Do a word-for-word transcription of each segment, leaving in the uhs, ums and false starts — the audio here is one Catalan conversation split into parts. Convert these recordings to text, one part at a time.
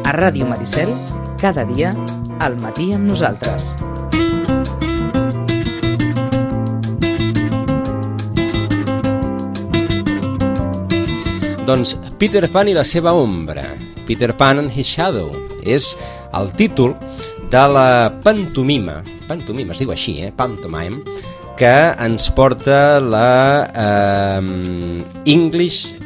A Ràdio Maricel, cada dia, al matí amb nosaltres. Doncs Peter Pan i la seva ombra, Peter Pan and his Shadow, és el títol de la pantomima, pantomima es diu així, eh? Pantomime, que ens porta la eh, English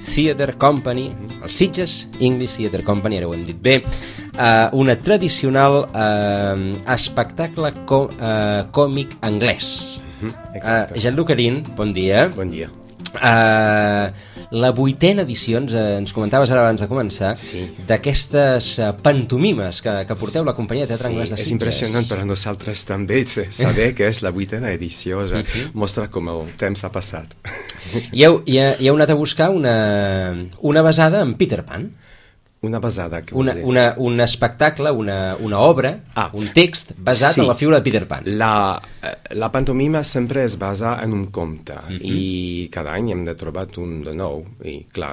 Theatre Company, el Sitges English Theatre Company, ara ho hem dit bé, eh, una tradicional eh, espectacle có, eh, còmic anglès. Mm-hmm, eh, Jean-Luc Arin, bon dia. Bon dia. Uh, la vuitena edició, ens, ens comentaves ara abans de començar, sí, d'aquestes uh, pantomimes que, que porteu la companyia de teatre sí, anglès de Sitges. És impressionant per a nosaltres també saber que és la vuitena edició, ja uh-huh. mostra com el temps ha passat. I heu, i, heu, i heu anat a buscar una, una basada en Peter Pan? Una basada, que una, una, un espectacle, una, una obra, ah, un text basat sí. en la figura de Peter Pan. La, la pantomima sempre es basa en un conte, uh-huh. i cada any hem de trobar un de nou, i clar,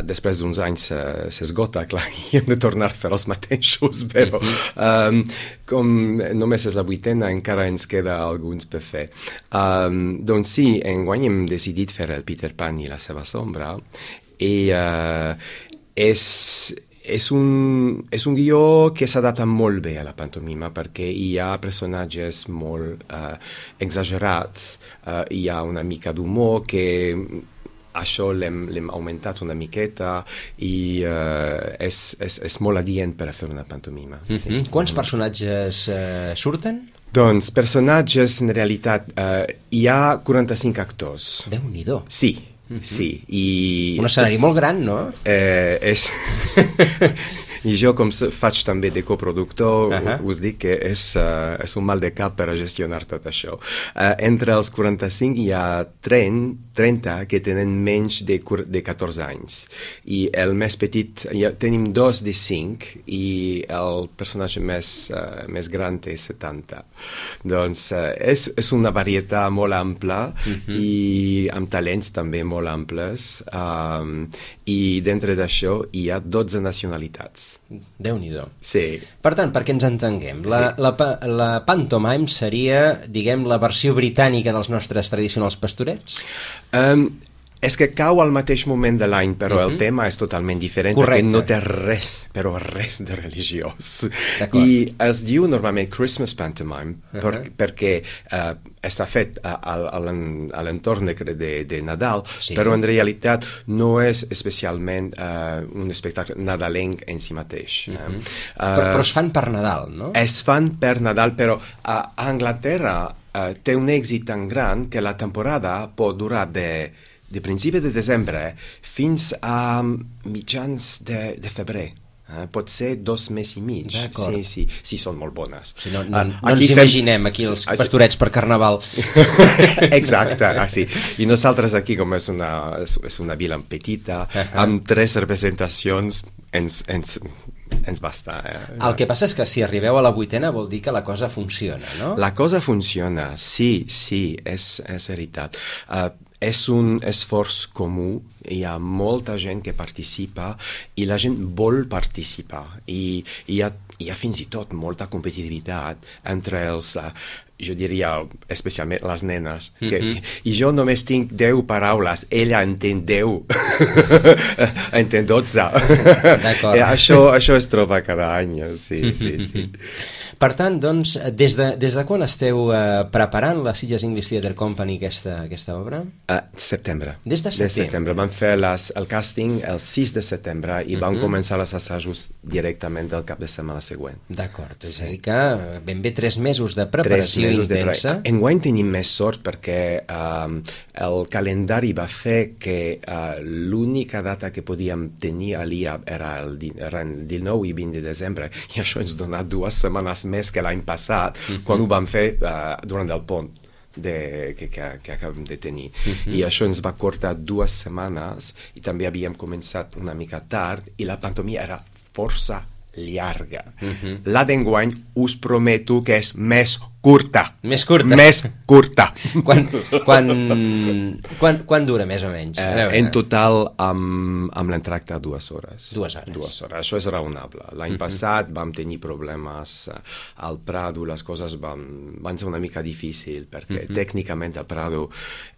després d'uns anys s'esgota, clar, i hem de tornar a fer els mateixos, però uh-huh. um, com només és la vuitena, encara ens queda alguns per fer. Um, doncs sí, enguany hem decidit fer el Peter Pan i la seva sombra, i... Uh, És, és, un, és un guió que s'adapta molt bé a la pantomima perquè hi ha personatges molt uh, exagerats, uh, hi ha una mica d'humor que això l'hem, l'hem augmentat una miqueta i uh, és, és, és molt adient per a fer una pantomima. Mm-hmm. Sí. Quants personatges uh, surten? Doncs personatges, en realitat, uh, hi ha quaranta-cinc actors. Déu-n'hi-do. Sí. Mm-hmm. Sí, i... Un escenari molt gran, no? Eh, és... I jo, com faig també de coproductor, uh-huh. us dic que és, uh, és un mal de cap per a gestionar tot això. Uh, entre els quaranta-cinc hi ha trenta que tenen menys de, de catorze anys. I el més petit, ha, tenim dos de cinc i el personatge més, uh, més gran té setanta. Doncs uh, és, és una varietat molt ampla uh-huh. i amb talents també molt amples. Um, I dintre d'això hi ha dotze nacionalitats. Déu-n'hi-do. Sí. Per tant, perquè ens entenguem, la, sí. la, la pantomime seria, diguem, la versió britànica dels nostres tradicionals pastorets? Um, és que cau al mateix moment de l'any, però uh-huh. el tema és totalment diferent. Correcte. Perquè no té res, però res de religiós. D'acord. I es diu normalment Christmas Pantomime uh-huh. per, perquè uh, està fet a, a, a l'entorn de, de, de Nadal, sí. però en realitat no és especialment uh, un espectacle nadalenc en si mateix. Uh-huh. eh? uh, però, però es fan per Nadal, no? Es fan per Nadal, però a, a Anglaterra uh, té un èxit tan gran que la temporada pot durar de de principi de desembre fins a mitjans de, de febrer. Eh? Pot ser dos mesos i mig. D'acord. Sí, sí, sí, són molt bones. Si no, no, no ens fem... imaginem aquí els pastorets per Carnaval. Exacte, ah, sí. I nosaltres aquí, com és una, és una vila petita, uh-huh. amb tres representacions, ens... ens ens basta. Eh? El que passa és que si arribeu a la vuitena vol dir que la cosa funciona, no? La cosa funciona, sí, sí, és, és veritat. Uh, és un esforç comú, hi ha molta gent que participa i la gent vol participar i hi ha, hi ha fins i tot molta competitivitat entre els... Uh, jo diria especialment les nenes, que, mm-hmm. i jo només tinc deu paraules, ella entén deu, entén dotze. D'acord. això, això es troba cada any, sí, sí, sí. Per tant, doncs, des de, des de quan esteu uh, preparant la Sitges English Theatre Company aquesta, aquesta obra? Uh, setembre. Des de setembre. De setembre. Vam fer les, el càsting el sis de setembre i vam mm-hmm. començar els assajos directament del cap de setmana següent. D'acord, és sí. a dir que ben bé tres mesos de preparació intensa. De... Enguany tenim més sort perquè uh, el calendari va fer que uh, l'única data que podíem tenir a l'I A era el, era el dinou i vint de desembre i això ens dona dues setmanes més que l'any passat, uh-huh. quan ho vam fer uh, durant el pont de, que, que, que acabem de tenir. Uh-huh. I això ens va cortar dues setmanes i també havíem començat una mica tard i la pantomima era força llarga. Uh-huh. La d'enguany us prometo que és més curta. Més curta. Més curta. Quan, quan, quan, quan dura, més o menys? Eh, en total, amb, amb l'entracte, dues hores. Dues hores. Dues hores. Això és raonable. L'any uh-huh. passat vam tenir problemes al Prado, les coses van, van ser una mica difícils, perquè uh-huh. tècnicament el Prado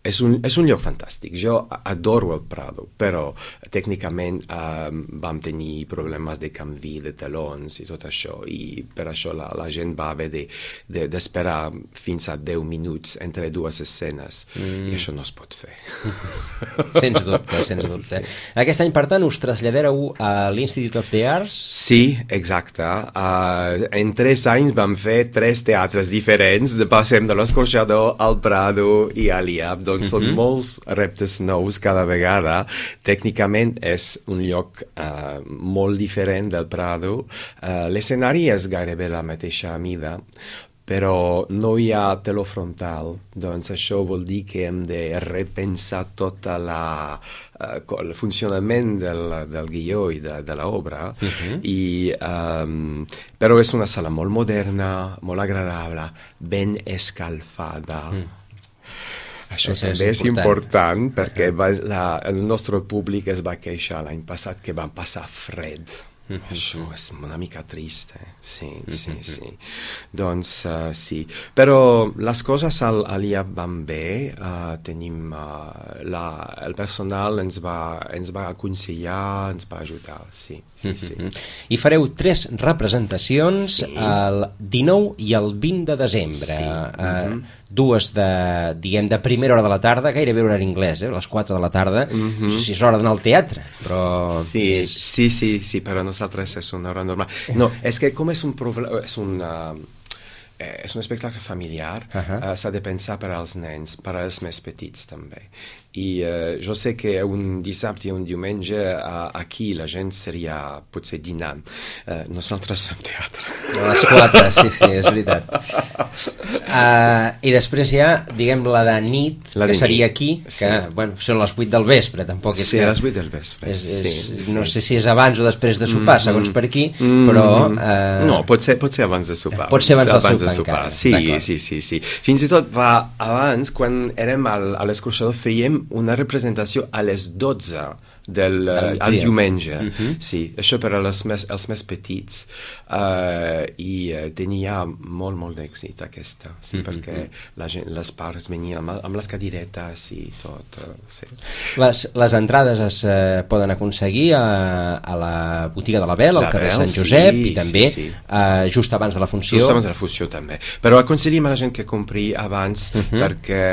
és un, és un lloc fantàstic. Jo adoro el Prado, però tècnicament eh, vam tenir problemes de canvi de telons i tot això, i per això la, la gent va haver de, de, d'esperar fins a deu minuts entre dues escenes, mm. i això no es pot fer. Sens dubte, sens dubte. Sí. Aquest any, per tant, us traslladareu a l'Institute of the Arts? Sí, exacte. Uh, en tres anys vam fer tres teatres diferents, passem de l'Escorxador al Prado i a l'I A P, doncs mm-hmm. són molts reptes nous cada vegada. Tècnicament és un lloc uh, molt diferent del Prado. Uh, l'escenari és gairebé la mateixa mida, però no hi ha teló frontal, doncs això vol dir que hem de repensar tot la, uh, el funcionament del, del guió i de, de l'obra, uh-huh. i, um, però és una sala molt moderna, molt agradable, ben escalfada. Mm. Això, això també és important, important perquè va, la, el nostre públic es va queixar l'any passat que van passar fred. Mm-hmm. Això és una mica trist, eh? Sí, sí, mm-hmm. sí. Doncs uh, sí, però les coses al, a l'I A P van bé, uh, tenim uh, la, el personal ens va, ens va aconsellar, ens va ajudar, sí, sí, mm-hmm. sí. I fareu tres representacions, sí. el dinou i el vint de desembre, sí. uh, mm-hmm. dues de, diguem, de primera hora de la tarda, gairebé horari anglès, eh? A les quatre de la tarda, mm-hmm. no sé si és l'hora d'anar al teatre, però... Sí, és... sí, sí, sí, però nosaltres és una hora normal. No, és que com és un problema, és un... Uh, és un espectacle familiar, uh-huh. uh, s'ha de pensar per als nens, per als més petits també. I uh, jo sé que un dissabte i un diumenge uh, aquí la gent seria potser dinant. Uh, nosaltres fem teatre. A les quatre, sí, sí, és veritat. Uh, I després hi ha, diguem, la de nit, la de que seria nit. Aquí, que sí. bueno, són les vuit del vespre, tampoc és sí, que... a les vuit del vespre. És, és, sí, no sí, sé sí. si és abans o després de sopar, mm, segons per aquí, mm, però... Uh... No, pot ser, pot ser abans de sopar. Pot ser abans, abans del sopar, de sopar. encara. Sí, sí, sí, sí. Fins i tot va abans, quan érem al, a l'Escorxador, fèiem una representació a les dotze del, uh, al diumenge. Uh-huh. Sí, això per als més, els més petits. Uh, I uh, tenia molt, molt d'èxit aquesta. Sí, uh-huh. perquè la gent, les pares venien amb, amb les cadiretes i tot. Uh, sí. les, les entrades es uh, poden aconseguir a, a la botiga de la Bel, al carrer Sant Josep, sí, i també sí, sí. Uh, just abans de la funció. Just abans de la funció també. Però aconseguim a la gent que compri abans uh-huh. perquè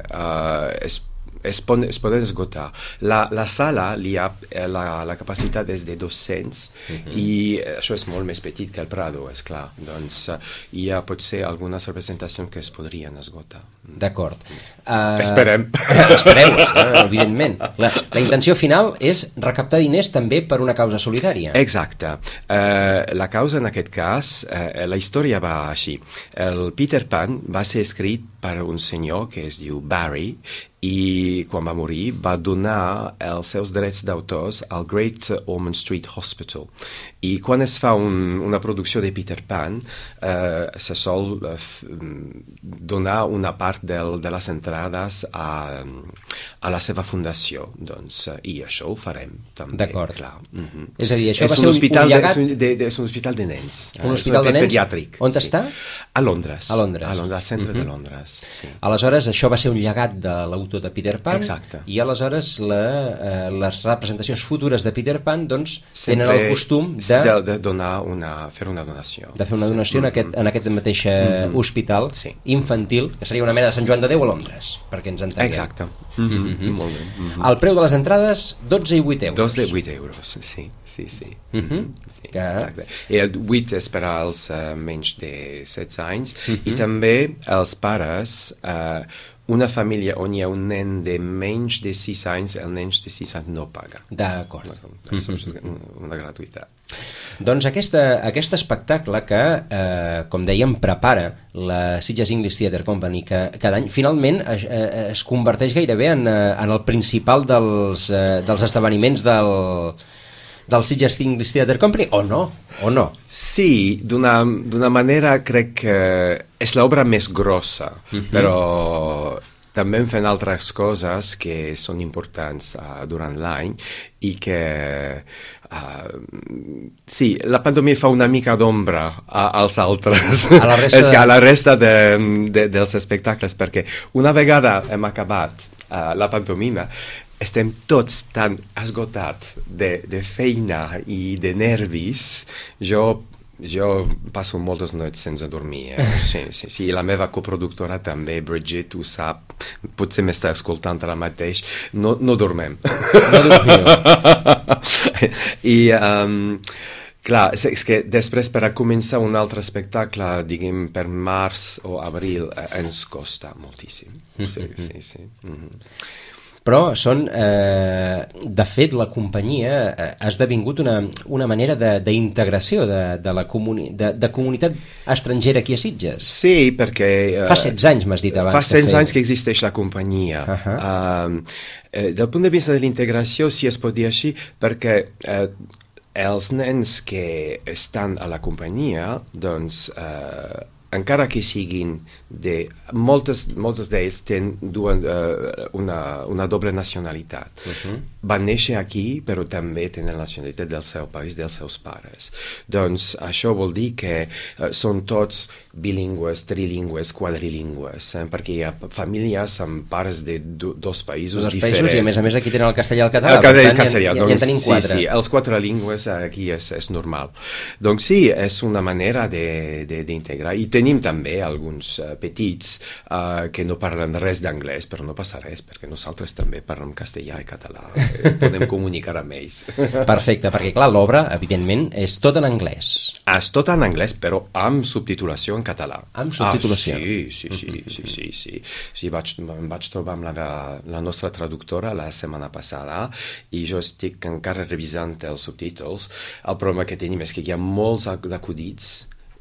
uh, és Es, pon, es poden esgotar. La, la sala, l'I A P, la, la capacitat és de dos-cents uh-huh. i això és molt més petit que el Prado, és clar. Doncs uh, hi ha potser algunes representacions que es podrien esgotar. D'acord. Uh, Esperem. Espereu, eh, evidentment. La, la intenció final és recaptar diners també per una causa solidària. Exacte. Uh, la causa en aquest cas, uh, la història va així. El Peter Pan va ser escrit per un senyor que es diu Barry, i quan va morir va donar els seus drets d'autors al Great Ormond Street Hospital. I quan es fa un, una producció de Peter Pan, eh, se sol eh, donar una part del, de les entrades a, a la seva fundació. Doncs, i això ho farem també. D'acord. Clar. Mm-hmm. És a dir, això és va ser un, hospital un llegat... De, de, de, és un hospital de nens. Un hospital de nens? Pediàtric. On sí. està? A Londres. A Londres. A Londres, al centre mm-hmm. de Londres. Sí. Aleshores, això va ser un llegat de l'autor de Peter Pan. Exacte. I aleshores la, eh, les representacions futures de Peter Pan doncs, tenen el costum de... de, de donar una, fer una donació. De fer una donació sí. en, aquest, en aquest mateix mm-hmm. hospital sí. infantil, que seria una mena de Sant Joan de Déu a Londres, perquè ens entenguem. Exacte. Mm-hmm. Mm-hmm. Molt bé. Mm-hmm. El preu de les entrades, dotze i vuit euros. Dos de vuit euros, sí, sí, sí. Mm-hmm. sí que... exacte. I el vuit és per als uh, menys de setze anys, mm-hmm. i també els pares... Uh, una família on hi ha un nen de menys de sis anys, el nen de sis anys no paga. D'acord. Això és una gratuïtat. Doncs aquesta, aquest espectacle que, eh, com dèiem, prepara la Sitges English Theatre Company que cada any, finalment es, es converteix gairebé en, en el principal dels, eh, dels esdeveniments del... del Sitges English Theatre Company, o no? O no? Sí, d'una d'una manera crec que és l'obra més grossa, mm-hmm. però també fem altres coses que són importants uh, durant l'any i que uh, sí, la pantomima fa una mica d'ombra a, als altres, a la resta, és que de... a la resta de, de, dels espectacles, perquè una vegada hem acabat uh, la pantomima estem tots tan esgotats de, de feina i de nervis. Jo Jo passo moltes nits sense dormir, eh? sí, sí, sí. I la meva coproductora també, Bridget, ho sap, potser m'està escoltant ara mateix, no, no dormem. No dormiu. I, um, clar, és, és que després per a començar un altre espectacle, diguem, per març o abril, eh, ens costa moltíssim. Sí, sí, sí. Mm-hmm. Però són, eh, de fet, la companyia eh, ha esdevingut una, una manera d'integració de, de, de la comuni de, de comunitat estrangera aquí a Sitges. Sí, perquè... Eh, fa setze anys, m'has dit abans. Fa setze anys que existeix la companyia. Uh-huh. Uh, eh, del punt de vista de l'integració, si es pot dir així, perquè eh, els nens que estan a la companyia, doncs... Eh, encara que siguin de... Moltes, moltes d'ells tenen duen, uh, una, una doble nacionalitat. Uh-huh. Van néixer aquí, però també tenen la nacionalitat del seu país, dels seus pares. Doncs això vol dir que uh, són tots bilingües, trilingües, quadrilingües, eh? Perquè hi ha famílies amb pares de do, dos països dos diferents. Països, i a més a més aquí tenen el castellà i el català. El castellà i el castellà, ja, doncs, ja en tenim quatre. Sí, sí, els quatre llengües aquí és, és normal. Doncs sí, és una manera d'integrar. I tenim també alguns uh, petits uh, que no parlen res d'anglès, però no passa res, perquè nosaltres també parlem castellà i català. Eh, podem comunicar amb ells. Perfecte, perquè clar, l'obra, evidentment, és tot en anglès. És tot en anglès, però amb subtitulació en català. Amb subtitulació? Ah, sí, sí, sí, sí, sí, sí. sí vaig, em vaig trobar amb la, la nostra traductora la setmana passada i jo estic encara revisant els subtítols. El problema que tenim és que hi ha molts acudits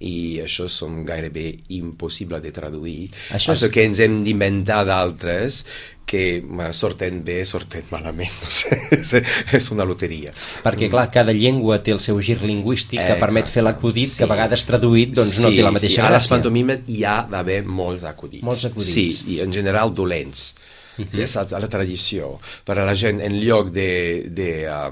i això són gairebé impossible de traduir. Això, és... això que ens hem d'inventar d'altres que sorten bé, sorten malament, no sé, és, és una loteria. Perquè, clar, cada llengua té el seu gir lingüístic que Exacte. Permet fer l'acudit, sí. que a vegades traduït doncs sí, no té la mateixa sí. gràcia. A les pantomimes hi ha d'haver molts acudits. Molts acudits. Sí, i en general dolents. Uh-huh. És a la tradició. Per a la gent, en lloc de... de uh,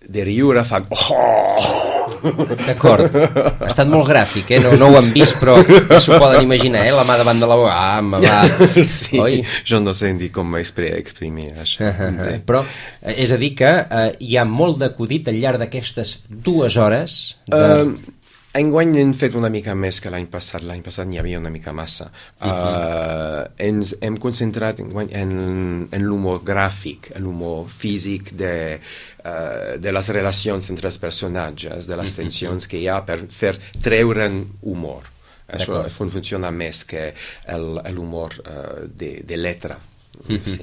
de riure fan... Oh! D'acord. Ha estat molt gràfic, eh? No, no ho han vist, però s'ho poden imaginar, eh? La mà davant de la boca. Ah, me va... Sí, Oi? Jo no sé dir com exprimir això. Uh -huh. Sí. Però és a dir que eh, hi ha molt d'acudit al llarg d'aquestes dues hores de... Uh, enguany hem fet una mica més que l'any passat. L'any passat n'hi havia una mica massa. Uh -huh. uh, ens hem concentrat enguany en, en l'humor gràfic, en l'humor físic de, uh, de les relacions entre els personatges, de les tensions que hi ha per fer treure'n humor. Això funciona més que l'humor uh, de, de letra. Sí.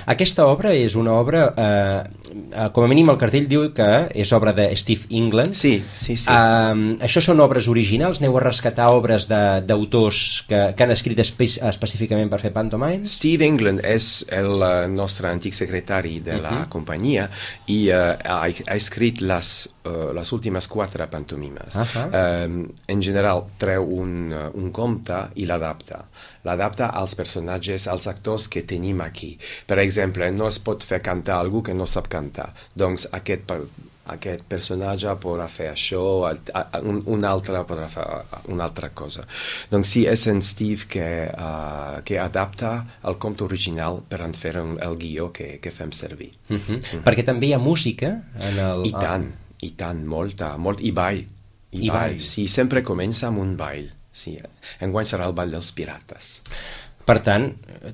Aquesta obra és una obra eh, com a mínim el cartell diu que és obra de Steve England. Sí, sí, sí. Eh, això són obres originals? Aneu a rescatar obres d'autors que, que han escrit espe específicament per fer pantomime? Steve England és el nostre antic secretari de la uh-huh. companyia i uh, ha, ha escrit les, uh, les últimes quatre pantomimes. Uh-huh. uh, en general treu un, un conte i l'adapta. L'adapta als personatges, als actors que tenim aquí. Per exemple, no es pot fer cantar algú que no sap cantar. Doncs aquest, aquest personatge podrà fer això, un, un altre podrà fer una altra cosa. Doncs sí, és en Steve que, uh, que adapta el conte original per en fer un, el guió que, que fem servir. Uh-huh. Uh-huh. Perquè també hi ha música en el... I tant, i tant, molta, molt, i ball. I, I ball. ball. Sí, sempre comença amb un ball. Sí, enguany serà el ball dels pirates. Per tant,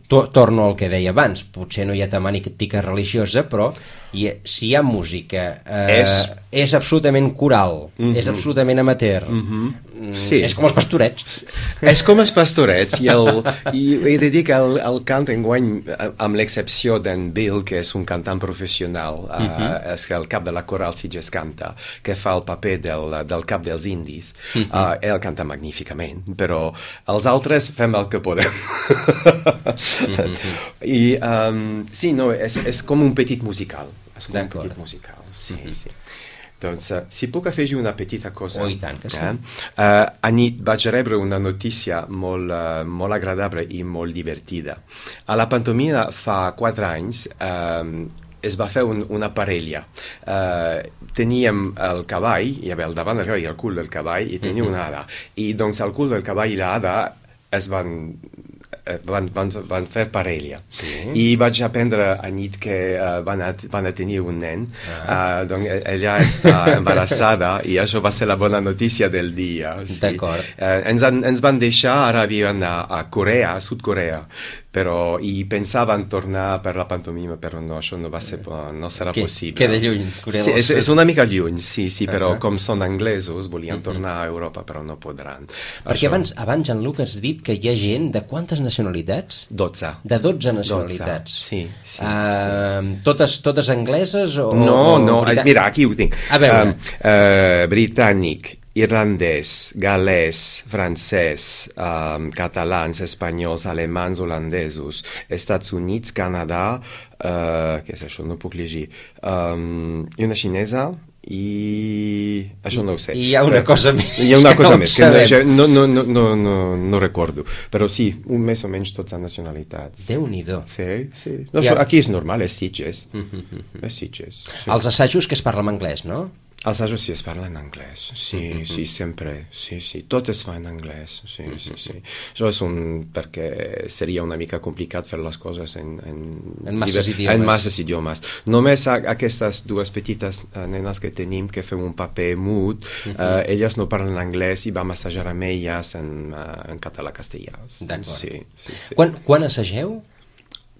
to torno al que deia abans, potser no hi ha temàtica religiosa, però hi ha, si hi ha música, eh, és... és absolutament coral, mm-hmm. és absolutament amateur, mm-hmm. sí. és com els pastorets. És com els pastorets, i, el, i he de dir que el, el cant enguany, amb l'excepció d'en Bill, que és un cantant professional, mm-hmm. uh, és el cap de la coral Sitges canta, que fa el paper del, del cap dels indis, mm-hmm. uh, ell canta magníficament, però els altres fem el que podem. mm-hmm. I um, sí, no, és, és com un petit musical. És com un petit musical, sí, mm-hmm. sí. Doncs, uh, si puc afegir una petita cosa. Oh, i tant que sí. Eh? Uh, anit vaig rebre una notícia molt, uh, molt agradable i molt divertida. A la pantomima fa quatre anys uh, es va fer un, una parella. Uh, teníem el cavall, hi havia el davant del cavall i el cul del cavall, i tenia mm-hmm. una hada. I doncs el cul del cavall i l'hada es van... Van, van, van fer parella. Sí. I vaig aprendre a nit que uh, van, a, van a tenir un nen. Ah. Uh, doncs ella està embarassada i això va ser la bona notícia del dia. Sí. D'acord. Uh, ens, ens van deixar, ara viuen a, a Corea, a Sud-Corea, però i pensaven tornar per la pantomima, però no, això no va ser, no serà que, possible. Queda lluny, Corea sí, del és, Sud. és una mica lluny, sí, sí, però uh -huh. com són anglesos, volien uh -huh. tornar a Europa, però no podran. Perquè això... abans, abans, Jean-Luc, has dit que hi ha gent de quantes nacionalitats? dotze. De dotze nacionalitats. dotze. Sí, sí, uh, sí. Totes, totes angleses o... No, o no, Brità... mira, aquí ho tinc. A veure. Um, uh, britànic, irlandès, galès, francès, um, catalans, espanyols, alemans, holandesos, Estats Units, Canadà, uh, què és això? No puc llegir. Um, i una xinesa i... això no ho sé. I hi ha una cosa més. Hi ha una cosa no més, que no, no, no, no, no, no recordo. Però sí, un més o menys tots han nacionalitats. Déu-n'hi-do. Sí, sí. No, ha... això, aquí és normal, és Sitges. És Sitges. Sí. Els assajos que es parla en anglès, no? Els assajos sí es parla en anglès, sí, mm-hmm. sí, sempre, sí, sí, tot es fa en anglès, sí, mm-hmm. sí, sí. Això és un... perquè seria una mica complicat fer les coses en... En, en masses diver... idiomes. En masses idiomes. Només a, aquestes dues petites uh, nenes que tenim, que fem un paper mut, mm-hmm. uh, elles no parlen anglès i vam assajar amb elles en, uh, en català-castellà. D'acord. Sí, sí, sí. Quan, quan assageu?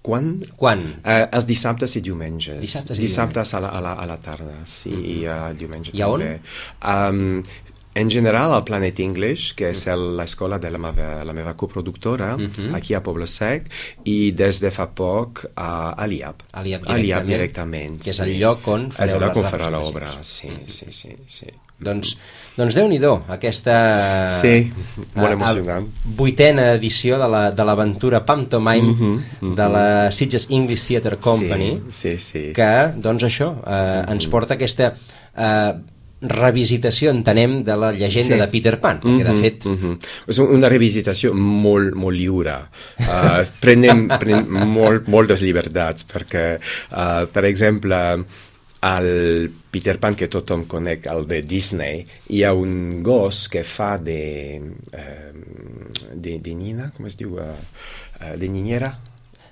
Quan? Quan? Uh, els dissabtes i diumenges. Dissabtes i dissabtes a la, a, la, a la tarda, sí, mm-hmm. i uh, diumenge I també. Um, en general, al Planet English, que és l'escola de la meva, la meva coproductora, mm-hmm. aquí a Poble Sec, i des de fa poc a, a l'I A P. A l'I A P directament. A l'I A P directament, que és sí. el lloc on fareu és el lloc on les farà representacions. l'obra, sí, mm-hmm. sí, sí, sí. Doncs, doncs Déu-n'hi-do, aquesta sí, molt emocionant. vuitena edició de l'aventura la, Pantomime mm-hmm, mm-hmm. de la Sitges English Theatre Company, sí, sí, sí. que, doncs això, eh, mm-hmm. ens porta aquesta eh, revisitació, entenem, de la llegenda sí. de Peter Pan, perquè de fet... Mm-hmm. És una revisitació molt, molt lliure. Uh, prenem prenem molt, moltes llibertats, perquè, uh, per exemple, al Peter Pan que tothom conec, el de Disney, hi ha un gos que fa de... Uh, de, de nina, com es diu? Uh, uh, de niñera?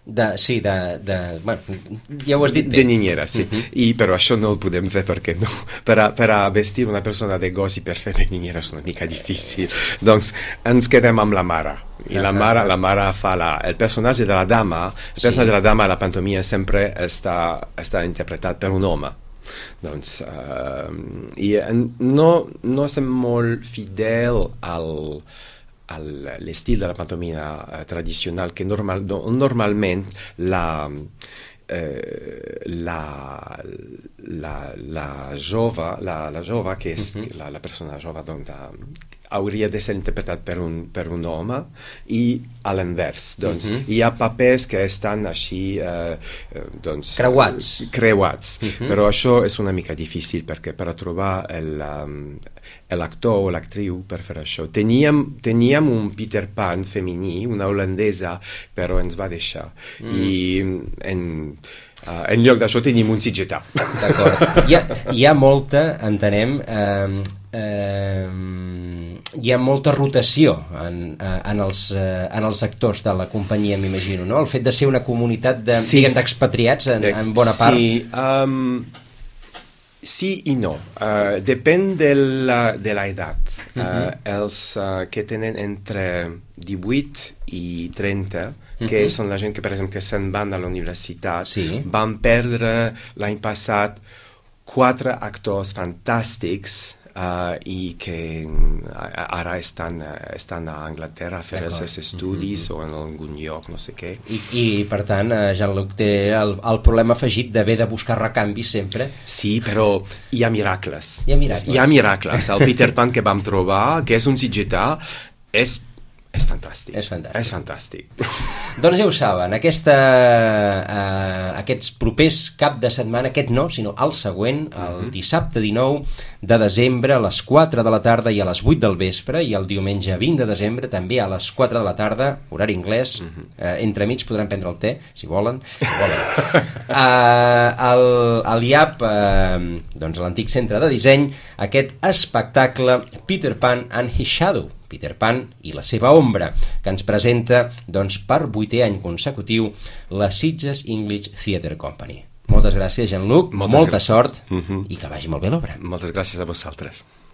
De, sí, de, de... Bueno, ja ho has dit bé. De niñera, sí. Uh-huh. I, però això no el podem fer perquè no. Per a, per a vestir una persona de gos i per fer de niñera és una mica difícil. Doncs ens quedem amb la mare. I uh-huh. la mare, la mare fa la... El personatge de la dama, el personatge sí. de la dama a la pantomima sempre està, està interpretat per un home. Doncs, uh, i no, no estem molt fidel al... l'estil de la pantomima uh, tradicional que normal, no, normalment la, eh, la, la, la jove, la, la jove que és uh-huh. la, la persona jove doncs, hauria de ser interpretat per un, per un home i a l'invers. Doncs, uh-huh. hi ha papers que estan així eh, doncs, creuats, creuats. Uh-huh. Però això és una mica difícil perquè per a trobar el, um, l'actor o l'actriu per fer això. Teníem, teníem un Peter Pan femení, una holandesa, però ens va deixar. Mm. I en, uh, en lloc d'això tenim un sitgetà. D'acord. Hi, hi ha molta, entenem, eh, eh, hi ha molta rotació en, en, els, en els actors de la companyia, m'imagino, no? El fet de ser una comunitat de, sí. diguem, d'expatriats en, en bona part. Sí, um, sí i no. Uh, depèn de la, de la edat. Uh, uh-huh. Els uh, que tenen entre divuit i trenta, que uh-huh. són la gent que, per exemple, que se'n van a la universitat, sí. van perdre l'any passat quatre actors fantàstics Uh, i que ara estan, estan a Anglaterra a fer els seus estudis mm-hmm. o en algun lloc, no sé què. I, i per tant, Jean-Luc té el, el problema afegit d'haver de buscar recanvis sempre. Sí, però hi ha miracles. Hi ha miracles. Hi ha miracles. El Peter Pan que vam trobar, que és un sitgetà, és És fantàstic. És fantàstic. És fantàstic. Doncs ja ho saben, aquesta, eh, aquests propers cap de setmana, aquest no, sinó el següent, el dissabte dinou de desembre a les quatre de la tarda i a les vuit del vespre, i el diumenge vint de desembre també a les quatre de la tarda, horari anglès, eh, entremig podran prendre el te, si volen. Si volen. eh, el, el I A P, eh, doncs l'antic centre de disseny, aquest espectacle Peter Pan and His Shadow, Peter Pan i la seva ombra, que ens presenta doncs, per vuitè any consecutiu la Sitges English Theatre Company. Moltes gràcies, Jean-Luc, molta gràcies. sort uh-huh. i que vagi molt bé l'obra. Moltes gràcies a vosaltres.